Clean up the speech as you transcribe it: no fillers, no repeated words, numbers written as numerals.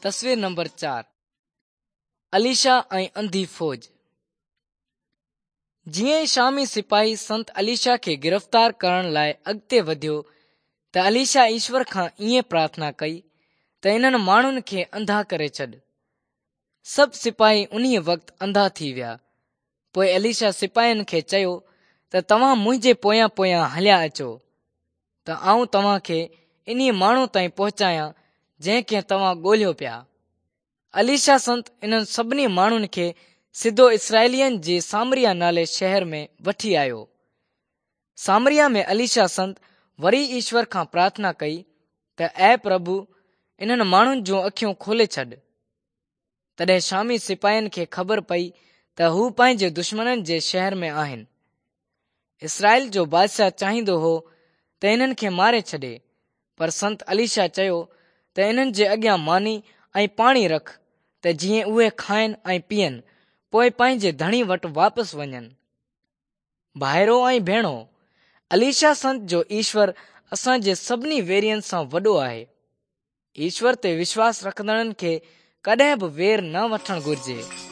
تصوير نمبر 4 اليشا ۽ انڌي فوج. جيئن ئي شامي سپاهي سنت اليشا کي گرفتار ڪرڻ لاء اڳتي وڌيو ته اليشا ايشور کان ائين پرارٿنا ڪئي ته انهن ماڻهن کي انڌا ڪري ڇڏ. سڀ سپاهي انهيء وقت انڌا ٿي ويا. پوء اليشا سپاهين کي چيو ته توهان منهنجي پويان پويان هليا اچو ته آئون توهان کي انهيء ماڻهو تائين پهچايان جنهن کي توهان ڳولهيو پيا. اليشا سنت انهن سڀني ماڻهن کي سڌو اسرائيلين جي سامريا نالي شهر ۾ وٺي آيو. سامريا ۾ اليشا سنت وري ايشور کان پرارٿنا ڪئي ته اي پرڀو انهن ماڻهن جون اکيون کولي ڇڏ. تڏهن شامي سپاهين کي خبر پئي ته هو پنهنجي دشمنن جي شهر ۾ آهن. اسرائيل جو بادشاهه چاهيندو هو ته انهن کي ماري ڇڏي، پر سنت اليشا چيو ته انهن جي اڳيان ماني ۽ پاڻي رک ته جيئن اهي کائن ۽ پيئن، پوء پنهنجي ڌڻي وٽ واپس وڃن. ڀائرو ۽ ڀيڻو، اليشا سنت جو ايشور اسان جي سڀني ويرين سان وڏو آهي. ايشور تي وشواس رکندڙن کي ڪڏهن به وير نه وٺڻ گهرجي.